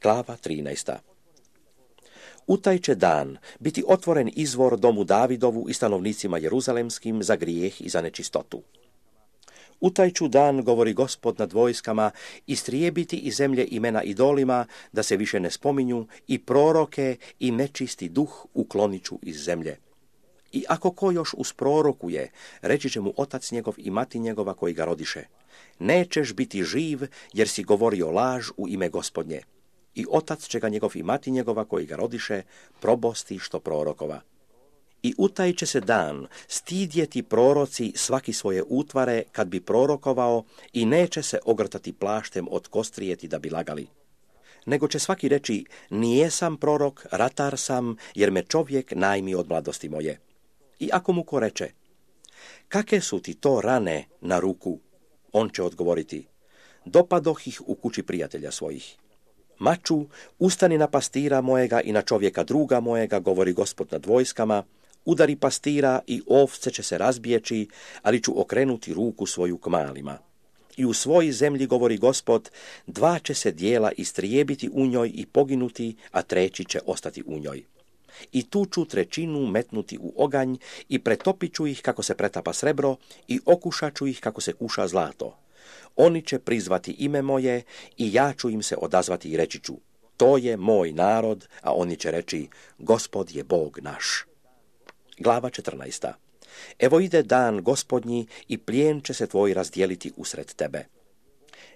Glava 13. U taj će dan biti otvoren izvor domu Davidovu i stanovnicima Jeruzalemskim za grijeh i za nečistotu. U taj ću dan, govori Gospod nad vojskama, istrijebiti iz zemlje imena idolima, da se više ne spominju, i proroke i nečisti duh uklonit ću iz zemlje. I ako ko još usprorokuje, reći će mu otac njegov i mati njegova koji ga rodiše: nećeš biti živ, jer si govorio laž u ime Gospodnje. I otac će ga njegov i mati njegova koji ga rodiše probosti što prorokova. I u taj će se dan stidjeti proroci svaki svoje utvare kad bi prorokovao, i neće se ogrtati plaštem od kostrijeti da bi lagali. Nego će svaki reći: nijesam prorok, ratar sam, jer me čovjek najmi od mladosti moje. I ako mu ko reče: kake su ti to rane na ruku? On će odgovoriti: dopadoh ih u kući prijatelja svojih. Maču, ustani na pastira mojega i na čovjeka druga mojega, govori Gospod nad vojskama, udari pastira i ovce će se razbijeći, ali ću okrenuti ruku svoju k malima. I u svojoj zemlji, govori Gospod, 2 će se dijela istrijebiti u njoj i poginuti, a 3 će ostati u njoj. I tu ću 1/3 metnuti u oganj i pretopit ću ih kako se pretapa srebro i okušat ću ih kako se kuša zlato. Oni će prizvati ime moje i ja ću im se odazvati i reći ću: to je moj narod, a oni će reći: Gospod je Bog naš. Glava 14. Evo ide dan Gospodnji i plijen će se tvoj razdijeliti usred tebe.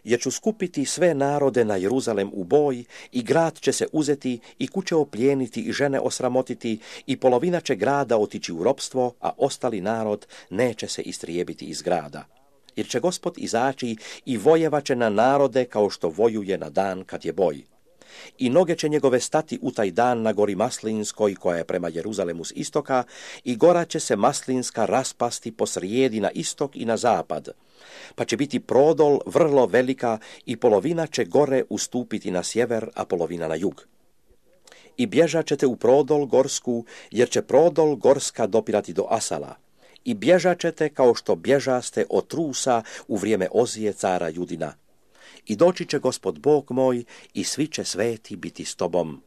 Jer ću skupiti sve narode na Jeruzalem u boj, i grad će se uzeti, i kuće oplijeniti, i žene osramotiti, i polovina će grada otići u ropstvo, a ostali narod neće se istrijebiti iz grada. Jer će Gospod izaći i vojevaće na narode kao što vojuje na dan kad je boj. I noge će njegove stati u taj dan na gori Maslinskoj koja je prema Jeruzalemu s istoka, i gora će se Maslinska raspasti posrijedi na istok i na zapad. Pa će biti prodol vrlo velika, i polovina će gore ustupiti na sjever, a polovina na jug. I bježat ćete u prodol gorsku, jer će prodol gorska dopirati do Asala. I bježat ćete kao što bježaste od trusa u vrijeme Ozije cara Judina. I doći će Gospod Bog moj, i svi će sveti biti s tobom.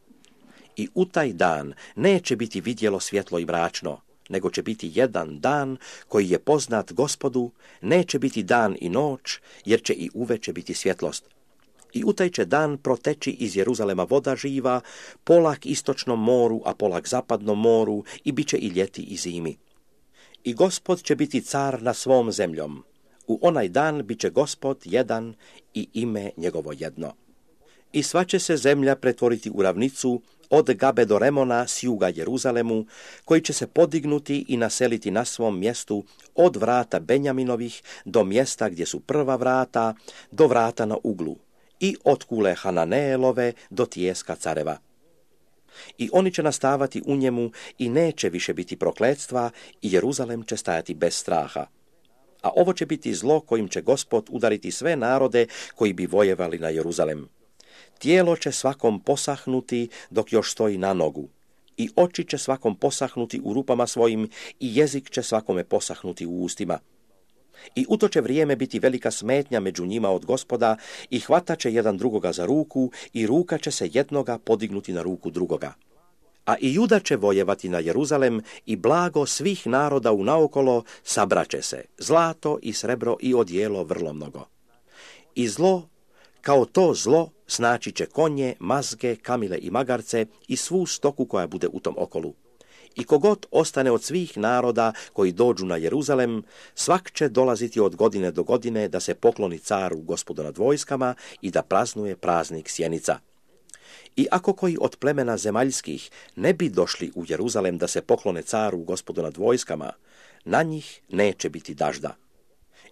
I u taj dan neće biti vidjelo svjetlo i mračno, nego će biti jedan dan koji je poznat Gospodu, neće biti dan i noć, jer će i uveče biti svjetlost. I u taj će dan proteći iz Jeruzalema voda živa, polak istočnom moru, a polak zapadnom moru, i bit će i ljeti i zimi. I Gospod će biti car na svom zemljom. U onaj dan bit će Gospod jedan i ime njegovo jedno. I sva će se zemlja pretvoriti u ravnicu od Gabe do Remona s juga Jeruzalemu, koji će se podignuti i naseliti na svom mjestu od vrata Benjaminovih do mjesta gdje su prva vrata, do vrata na uglu, i od kule Hananeelove do tijeska careva. I oni će nastavati u njemu i neće više biti prokletstva, i Jeruzalem će stajati bez straha. A ovo će biti zlo kojim će Gospod udariti sve narode koji bi vojevali na Jeruzalem. Tijelo će svakom posahnuti dok još stoji na nogu, i oči će svakom posahnuti u rupama svojim, i jezik će svakome posahnuti u ustima. I u to će vrijeme biti velika smetnja među njima od Gospoda, i hvatat će jedan drugoga za ruku, i ruka će se jednoga podignuti na ruku drugoga. A i Juda će vojevati na Jeruzalem, i blago svih naroda unaokolo sabraće se, zlato i srebro i odijelo vrlo mnogo. I zlo, kao to zlo, snaći će konje, mazge, kamile i magarce i svu stoku koja bude u tom okolu. I kogod ostane od svih naroda koji dođu na Jeruzalem, svak će dolaziti od godine do godine da se pokloni caru Gospodu nad vojskama i da praznuje praznik sjenica. I ako koji od plemena zemaljskih ne bi došli u Jeruzalem da se poklone caru Gospodu nad vojskama, na njih neće biti dažda.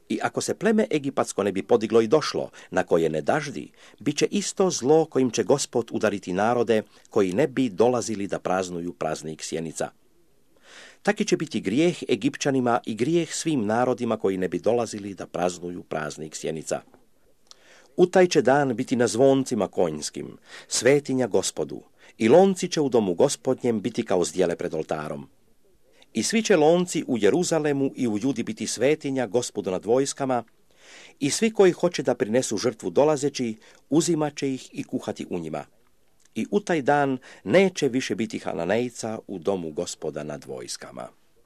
I ako se pleme egipatsko ne bi podiglo i došlo, na koje ne daždi, bit će isto zlo kojim će Gospod udariti narode koji ne bi dolazili da praznuju praznik sjenica. Taki će biti grijeh Egipćanima i grijeh svim narodima koji ne bi dolazili da praznuju praznik sjenica. U taj će dan biti na zvoncima konjskim, svetinja Gospodu, i lonci će u domu Gospodnjem biti kao zdjele pred oltarom. I svi će lonci u Jeruzalemu i u Judi biti svetinja Gospodu nad vojskama, i svi koji hoće da prinesu žrtvu dolazeći, uzimat će ih i kuhati u njima. I u taj dan neće više biti Hananejca u domu Gospoda nad vojskama.